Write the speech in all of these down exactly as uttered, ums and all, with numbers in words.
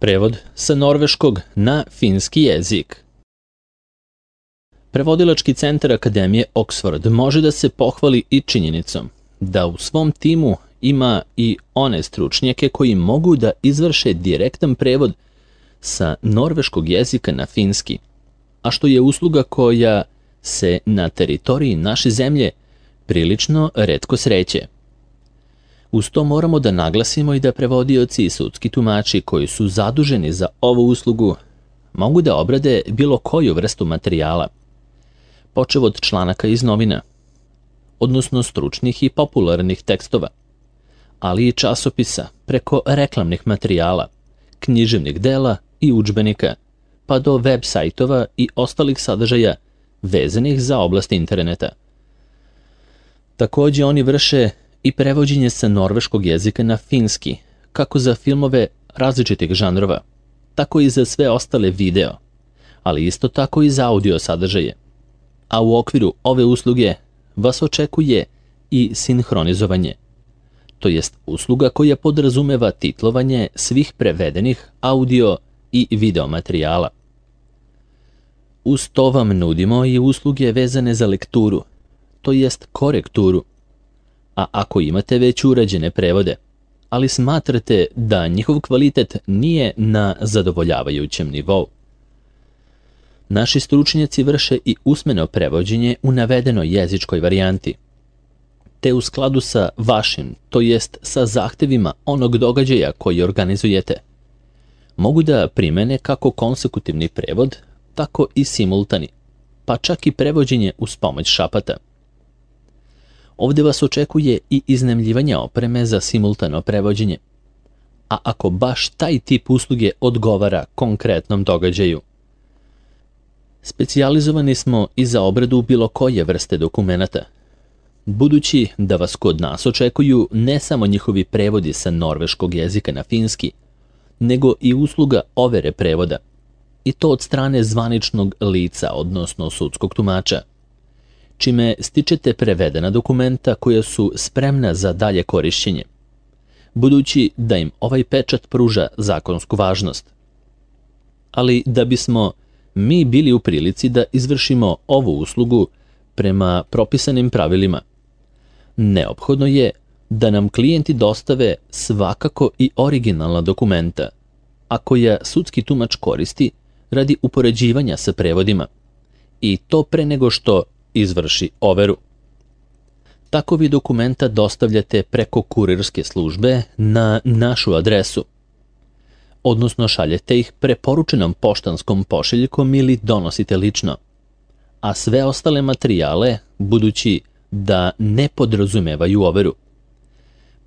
Prevod sa norveškog na finski jezik. Prevodilački centar Akademije Oxford može da se pohvali i činjenicom da u svom timu ima i one stručnjake koji mogu da izvrše direktan prevod sa norveškog jezika na finski, a što je usluga koja se na teritoriji naše zemlje prilično retko sreće. Uz to moramo da naglasimo i da prevodioci i sudski tumači koji su zaduženi za ovu uslugu mogu da obrade bilo koju vrstu materijala, počev od članaka iz novina, odnosno stručnih i popularnih tekstova, ali i časopisa preko reklamnih materijala, književnih dela i udžbenika, pa do web sajtova i ostalih sadržaja vezanih za oblast interneta. Takođe oni vrše i prevođenje sa norveškog jezika na finski, kako za filmove različitih žanrova, tako i za sve ostale video, ali isto tako i za audio sadržaje. A u okviru ove usluge vas očekuje i sinhronizovanje, to jest usluga koja podrazumeva titlovanje svih prevedenih audio i video materijala. Uz to vam nudimo i usluge vezane za lekturu, to jest korekturu, a ako imate već urađene prevode, ali smatrate da njihov kvalitet nije na zadovoljavajućem nivou, naši stručnjaci vrše i usmeno prevođenje u navedenoj jezičkoj varijanti, te u skladu sa vašim, to jest sa zahtevima onog događaja koji organizujete, mogu da primene kako konsekutivni prevod, tako i simultani, pa čak i prevođenje uz pomoć šapata. Ovde vas očekuje i iznajmljivanje opreme za simultano prevođenje, a ako baš taj tip usluge odgovara konkretnom događaju. Specijalizovani smo i za obradu bilo koje vrste dokumenata, budući da vas kod nas očekuju ne samo njihovi prevodi sa norveškog jezika na finski, nego i usluga overe prevoda, i to od strane zvaničnog lica, odnosno sudskog tumača, čime stičete prevedena dokumenta koja su spremna za dalje korišćenje, budući da im ovaj pečat pruža zakonsku važnost. Ali da bismo mi bili u prilici da izvršimo ovu uslugu prema propisanim pravilima, neophodno je da nam klijenti dostave svakako i originalna dokumenta, a koja sudski tumač koristi radi upoređivanja sa prevodima, i to pre nego što izvrši overu. Takovi dokumenta dostavljate preko kurirske službe na našu adresu, odnosno šaljete ih preporučenom poštanskom pošiljkom ili donosite lično, a sve ostale materijale, budući da ne podrazumevaju overu,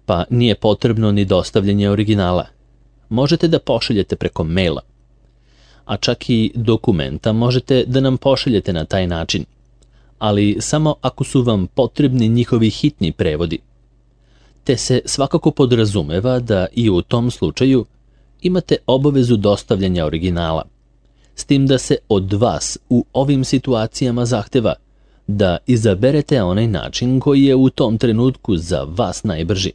pa nije potrebno ni dostavljanje originala, možete da pošaljete preko maila, a čak i dokumenta možete da nam pošaljete na taj način, ali samo ako su vam potrebni njihovi hitni prevodi, te se svakako podrazumeva da i u tom slučaju imate obavezu dostavljanja originala, s tim da se od vas u ovim situacijama zahteva da izaberete onaj način koji je u tom trenutku za vas najbrži,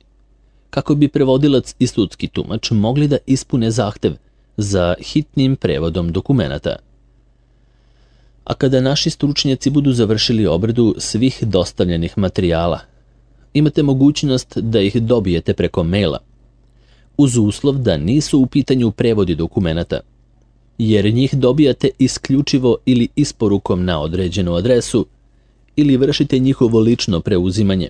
kako bi prevodilac i sudski tumač mogli da ispune zahtev za hitnim prevodom dokumenata. A kada naši stručnjaci budu završili obradu svih dostavljenih materijala, imate mogućnost da ih dobijete preko maila, uz uslov da nisu u pitanju prevodi dokumenata, jer njih dobijate isključivo ili isporukom na određenu adresu ili vršite njihovo lično preuzimanje.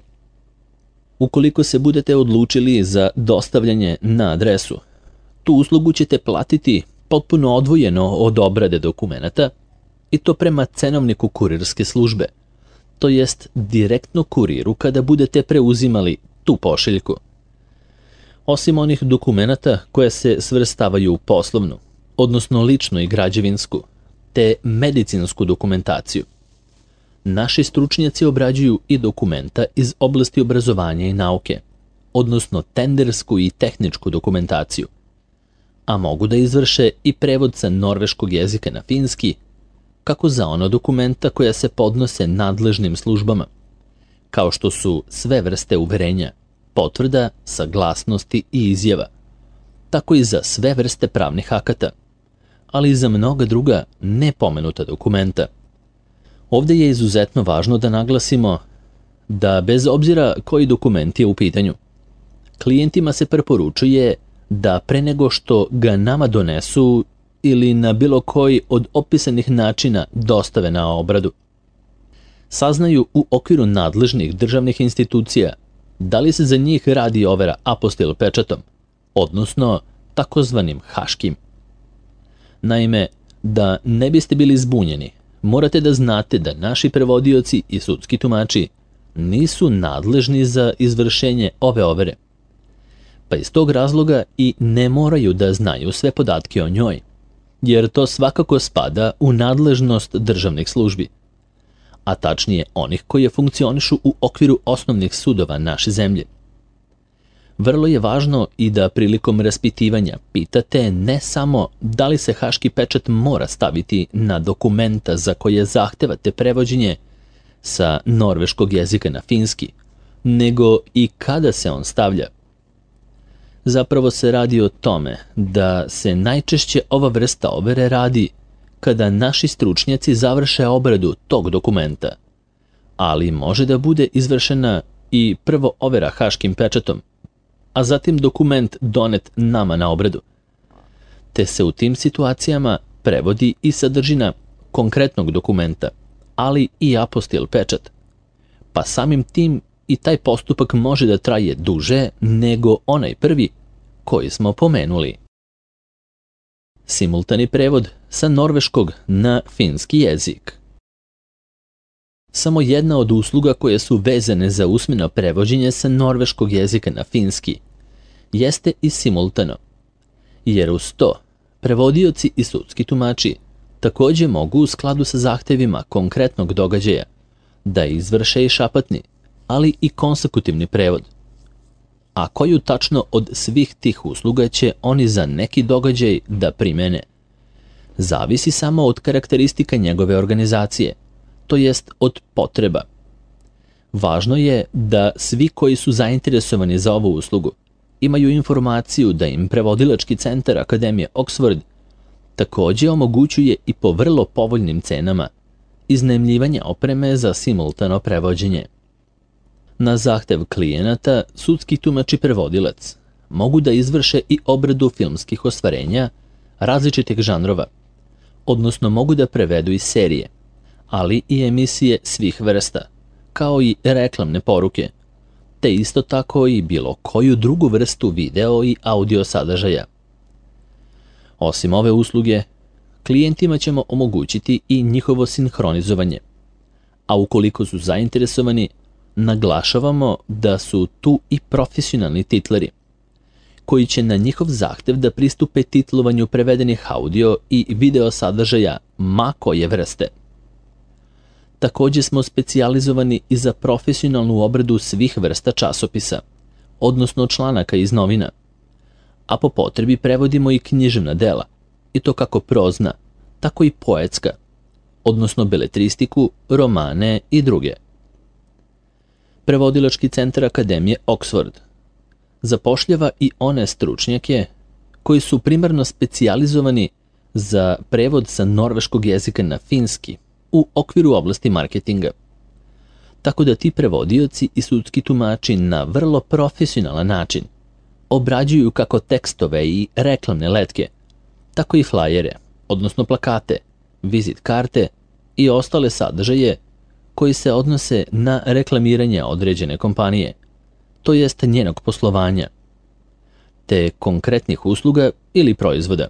Ukoliko se budete odlučili za dostavljanje na adresu, tu uslugu ćete platiti potpuno odvojeno od obrade dokumenata, i to prema cenovniku kurirske službe, to jest direktno kuriru kada budete preuzimali tu pošiljku. Osim onih dokumenata koje se svrstavaju u poslovnu, odnosno ličnu i građevinsku, te medicinsku dokumentaciju, naši stručnjaci obrađuju i dokumenta iz oblasti obrazovanja i nauke, odnosno tendersku i tehničku dokumentaciju, a mogu da izvrše i prevod sa norveškog jezika na finski, kako za ono dokumenta koja se podnose nadležnim službama, kao što su sve vrste uverenja, potvrda, saglasnosti i izjava, tako i za sve vrste pravnih akata, ali i za mnoga druga nepomenuta dokumenta. Ovdje je izuzetno važno da naglasimo da bez obzira koji dokument je u pitanju, klijentima se preporučuje da pre nego što ga nama donesu ili na bilo koji od opisanih načina dostave na obradu, saznaju u okviru nadležnih državnih institucija da li se za njih radi overa apostil pečatom, odnosno takozvanim haškim. Naime, da ne biste bili zbunjeni, morate da znate da naši prevodioci i sudski tumači nisu nadležni za izvršenje ove overe, pa iz tog razloga i ne moraju da znaju sve podatke o njoj, jer to svakako spada u nadležnost državnih službi, a tačnije onih koje funkcionišu u okviru osnovnih sudova naše zemlje. Vrlo je važno i da prilikom raspitivanja pitate ne samo da li se haški pečat mora staviti na dokumenta za koje zahtevate prevođenje sa norveškog jezika na finski, nego i kada se on stavlja. Zapravo se radi o tome da se najčešće ova vrsta overe radi kada naši stručnjaci završe obradu tog dokumenta, ali može da bude izvršena i prvo overa haškim pečatom, a zatim dokument donet nama na obradu, te se u tim situacijama prevodi i sadržina konkretnog dokumenta, ali i apostil pečat, pa samim tim i taj postupak može da traje duže nego onaj prvi koji smo pomenuli. Simultani prevod sa norveškog na finski jezik. Samo jedna od usluga koje su vezane za usmeno prevođenje sa norveškog jezika na finski jeste i simultano, jer uz to prevodioci i sudski tumači također mogu u skladu sa zahtevima konkretnog događaja da izvrše i šapatni, ali i konsekutivni prevod. A koju tačno od svih tih usluga će oni za neki događaj da primene, zavisi samo od karakteristika njegove organizacije, to jest od potreba. Važno je da svi koji su zainteresovani za ovu uslugu imaju informaciju da im prevodilački centar Akademije Oxford također omogućuje i po vrlo povoljnim cenama iznajmljivanje opreme za simultano prevođenje. Na zahtev klijenata, sudski tumač i prevodilac mogu da izvrše i obradu filmskih ostvarenja različitih žanrova, odnosno mogu da prevedu i serije, ali i emisije svih vrsta, kao i reklamne poruke, te isto tako i bilo koju drugu vrstu video i audio sadržaja. Osim ove usluge, klijentima ćemo omogućiti i njihovo sinhronizovanje, a ukoliko su zainteresovani, naglašavamo da su tu i profesionalni titleri, koji će na njihov zahtev da pristupe titlovanju prevedenih audio i video sadržaja ma koje vrste. Također smo specijalizovani i za profesionalnu obradu svih vrsta časopisa, odnosno članaka iz novina, a po potrebi prevodimo i književna dela, i to kako prozna, tako i poetska, odnosno beletristiku, romane i druge. Prevodilački centar Akademije Oxford zapošljava i one stručnjake koji su primarno specijalizovani za prevod sa norveškog jezika na finski u okviru oblasti marketinga. Tako da ti prevodioci i sudski tumači na vrlo profesionalan način obrađuju kako tekstove i reklamne letke, tako i flajere, odnosno plakate, vizit karte i ostale sadržaje koji se odnose na reklamiranje određene kompanije, to jest njenog poslovanja, te konkretnih usluga ili proizvoda.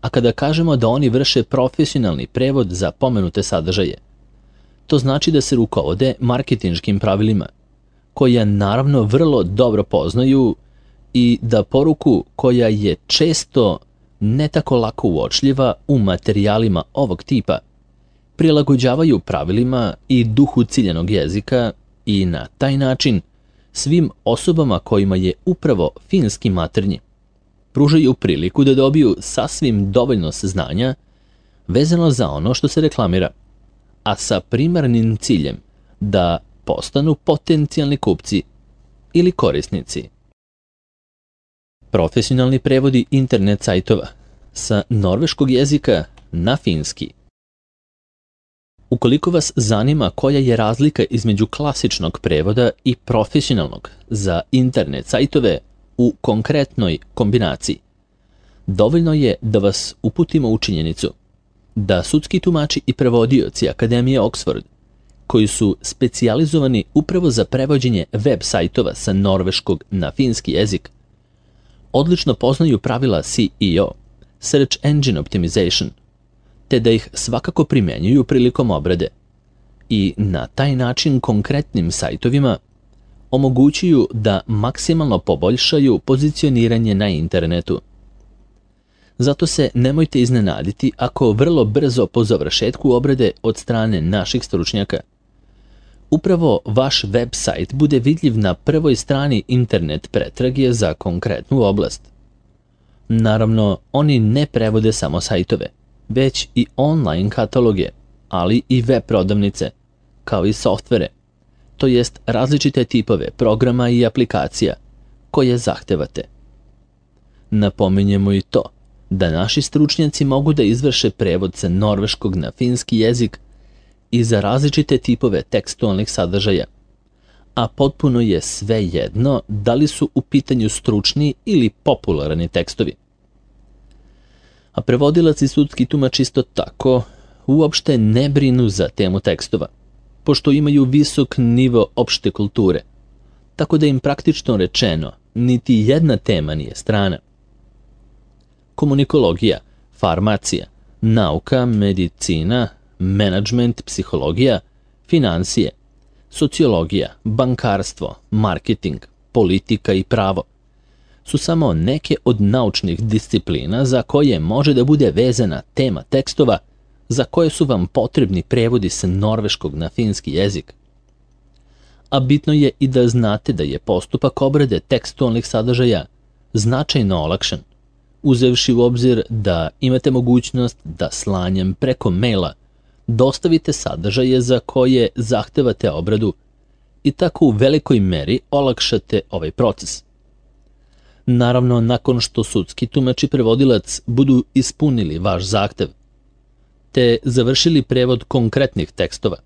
A kada kažemo da oni vrše profesionalni prevod za pomenute sadržaje, to znači da se rukovode marketinškim pravilima, koja naravno vrlo dobro poznaju i da poruku koja je često ne tako lako uočljiva u materijalima ovog tipa, prilagođavaju pravilima i duhu ciljanog jezika i na taj način svim osobama kojima je upravo finski maternji pružaju priliku da dobiju sasvim dovoljno saznanja vezano za ono što se reklamira, a sa primarnim ciljem da postanu potencijalni kupci ili korisnici. Profesionalni prevodi internet sajtova sa norveškog jezika na finski. Ukoliko vas zanima koja je razlika između klasičnog prevoda i profesionalnog za internet sajtove u konkretnoj kombinaciji, dovoljno je da vas uputimo u činjenicu da sudski tumači i prevodioci Akademije Oxford, koji su specijalizovani upravo za prevođenje web sajtova sa norveškog na finski jezik, odlično poznaju pravila S E O, Search Engine Optimization, te da ih svakako primjenjuju prilikom obrade i na taj način konkretnim sajtovima omogućuju da maksimalno poboljšaju pozicioniranje na internetu. Zato se nemojte iznenaditi ako vrlo brzo po završetku obrade od strane naših stručnjaka upravo vaš web sajt bude vidljiv na prvoj strani internet pretrage za konkretnu oblast. Naravno, oni ne prevode samo sajtove, već i online kataloge, ali i web prodavnice, kao i softvere, to jest različite tipove programa i aplikacija koje zahtevate. Napominjemo i to da naši stručnjaci mogu da izvrše prevod sa norveškog na finski jezik i za različite tipove tekstualnih sadržaja, a potpuno je svejedno da li su u pitanju stručni ili popularni tekstovi. A prevodilac i sudski tumač isto tako uopšte ne brinu za temu tekstova, pošto imaju visok nivo opšte kulture, tako da im praktično rečeno niti jedna tema nije strana. Komunikologija, farmacija, nauka, medicina, menadžment, psihologija, financije, sociologija, bankarstvo, marketing, politika i pravo su samo neke od naučnih disciplina za koje može da bude vezana tema tekstova za koje su vam potrebni prevodi sa norveškog na finski jezik. A bitno je i da znate da je postupak obrade tekstualnih sadržaja značajno olakšan, uzevši u obzir da imate mogućnost da slanjem preko maila dostavite sadržaje za koje zahtevate obradu i tako u velikoj meri olakšate ovaj proces. Naravno, nakon što sudski tumač i prevodilac budu ispunili vaš zahtev, te završili prevod konkretnih tekstova,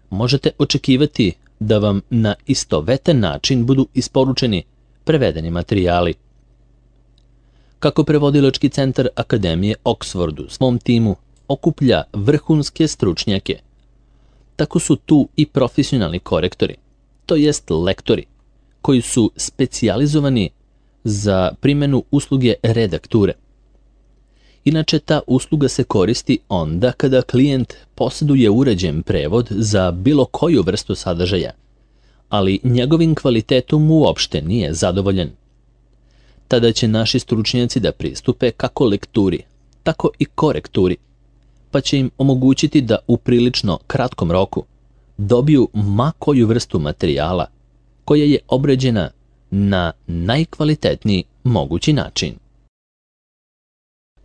možete očekivati da vam na istovetan način budu isporučeni prevedeni materijali. Kako prevodilački centar Akademije Oxford u svom timu okuplja vrhunske stručnjake, tako su tu i profesionalni korektori, to jest lektori, koji su specijalizovani za primjenu usluge redakture. Inače, ta usluga se koristi onda kada klijent posjeduje uređen prevod za bilo koju vrstu sadržaja, ali njegovim kvalitetom uopšte nije zadovoljen. Tada će naši stručnjaci da pristupe kako lekturi, tako i korekturi, pa će im omogućiti da u prilično kratkom roku dobiju ma koju vrstu materijala koja je obrađena na najkvalitetniji mogući način.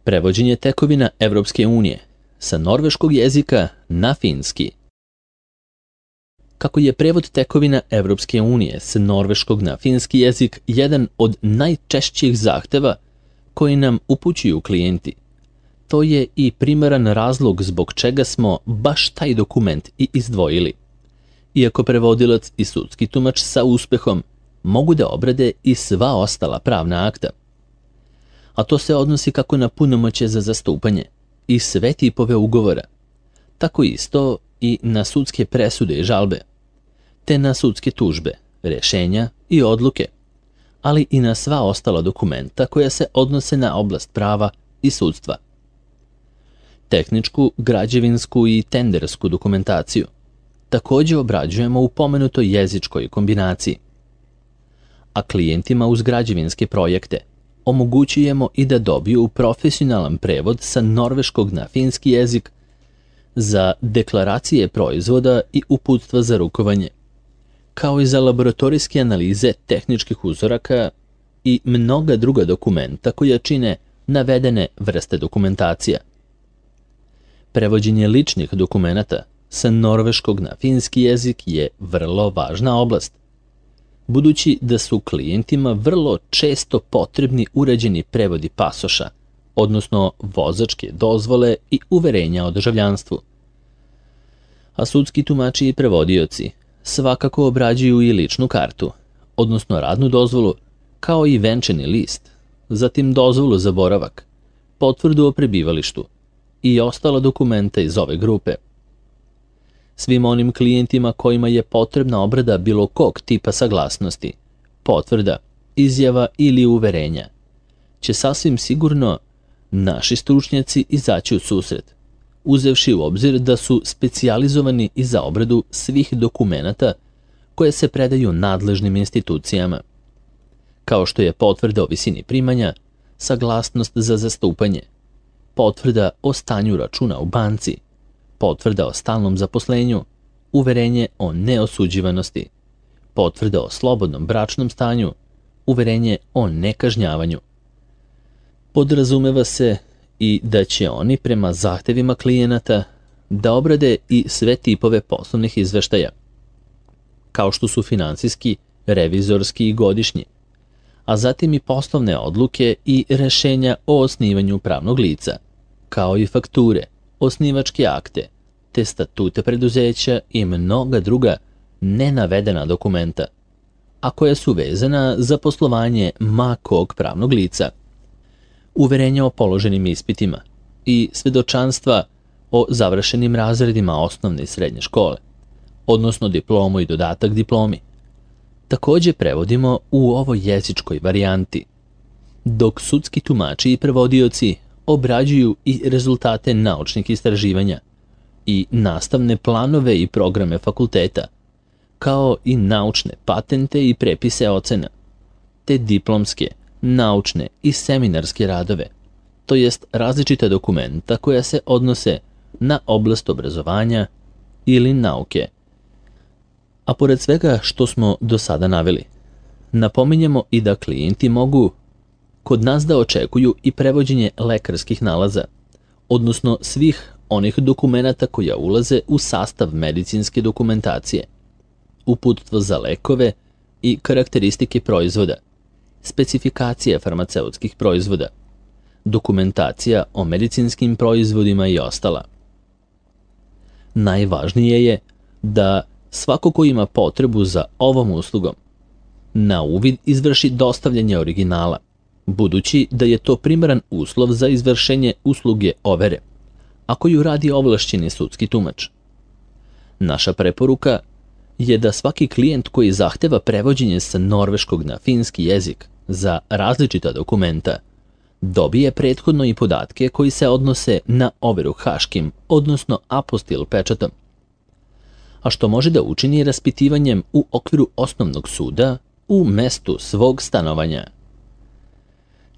Prevođenje tekovina Evropske unije sa norveškog jezika na finski. Kako je prevod tekovina Evropske unije sa norveškog na finski jezik jedan od najčešćih zahteva koji nam upućuju klijenti, to je i primaran razlog zbog čega smo baš taj dokument i izdvojili, iako prevodilac i sudski tumač sa uspehom mogu da obrade i sva ostala pravna akta. A to se odnosi kako na punomoćje za zastupanje i sve tipove ugovora, tako isto i na sudske presude i žalbe, te na sudske tužbe, rješenja i odluke, ali i na sva ostala dokumenta koja se odnose na oblast prava i sudstva. Tehničku, građevinsku i tendersku dokumentaciju također obrađujemo u pomenutoj jezičkoj kombinaciji. A klijentima uz građevinske projekte omogućujemo i da dobiju profesionalan prevod sa norveškog na finski jezik za deklaracije proizvoda i uputstva za rukovanje, kao i za laboratorijske analize tehničkih uzoraka i mnoga druga dokumenta koja čine navedene vrste dokumentacija. Prevođenje ličnih dokumenata sa norveškog na finski jezik je vrlo važna oblast. budući da su klijentima vrlo često potrebni uređeni prevodi pasoša, odnosno vozačke dozvole i uverenja o državljanstvu. A sudski tumači i prevodioci svakako obrađuju i ličnu kartu, odnosno radnu dozvolu, kao i venčani list, zatim dozvolu za boravak, potvrdu o prebivalištu i ostala dokumenta iz ove grupe. Svim onim klijentima kojima je potrebna obrada bilo kog tipa saglasnosti, potvrda, izjava ili uverenja, će sasvim sigurno naši stručnjaci izaći u susret, uzevši u obzir da su specijalizovani i za obradu svih dokumenata koje se predaju nadležnim institucijama, kao što je potvrda o visini primanja, saglasnost za zastupanje, potvrda o stanju računa u banci, potvrda o stalnom zaposlenju, uverenje o neosuđivanosti, potvrda o slobodnom bračnom stanju, uverenje o nekažnjavanju. Podrazumeva se i da će oni prema zahtevima klijenata da obrade i sve tipove poslovnih izveštaja, kao što su finansijski, revizorski i godišnji, a zatim i poslovne odluke i rešenja o osnivanju pravnog lica, kao i fakture, osnivačke akte, te statute preduzeća i mnoga druga nenavedena dokumenta, a koja su vezana za poslovanje ma kog pravnog lica, uverenja o položenim ispitima i svedočanstva o završenim razredima osnovne i srednje škole, odnosno diplomu i dodatak diplomi. Takođe prevodimo u ovoj jezičkoj varijanti, dok sudski tumači i prevodioci obrađuju i rezultate naučnih istraživanja i nastavne planove i programe fakulteta, kao i naučne patente i prepise ocena, te diplomske, naučne i seminarske radove, to jest različita dokumenta koja se odnose na oblast obrazovanja ili nauke. A pored svega što smo do sada naveli, napominjemo i da klijenti mogu kod nas da očekuju i prevođenje lekarskih nalaza, odnosno svih onih dokumenata koja ulaze u sastav medicinske dokumentacije, uputstvo za lekove i karakteristike proizvoda, specifikacija farmaceutskih proizvoda, dokumentacija o medicinskim proizvodima i ostala. Najvažnije je da svako ko ima potrebu za ovom uslugom na uvid izvrši dostavljanje originala, budući da je to primaran uslov za izvršenje usluge overe, a koju radi ovlašćeni sudski tumač. Naša preporuka je da svaki klijent koji zahteva prevođenje sa norveškog na finski jezik za različita dokumenta dobije prethodno i podatke koji se odnose na overu haškim, odnosno apostil pečatom, a što može da učini raspitivanjem u okviru osnovnog suda u mestu svog stanovanja.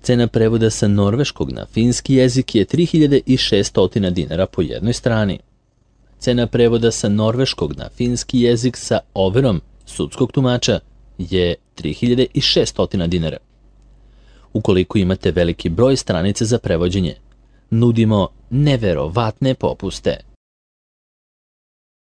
Cena prevoda sa norveškog na finski jezik je tri hiljade šesto dinara po jednoj strani. Cena prevoda sa norveškog na finski jezik sa overom sudskog tumača je tri hiljade šesto dinara. Ukoliko imate veliki broj stranice za prevođenje, nudimo neverovatne popuste.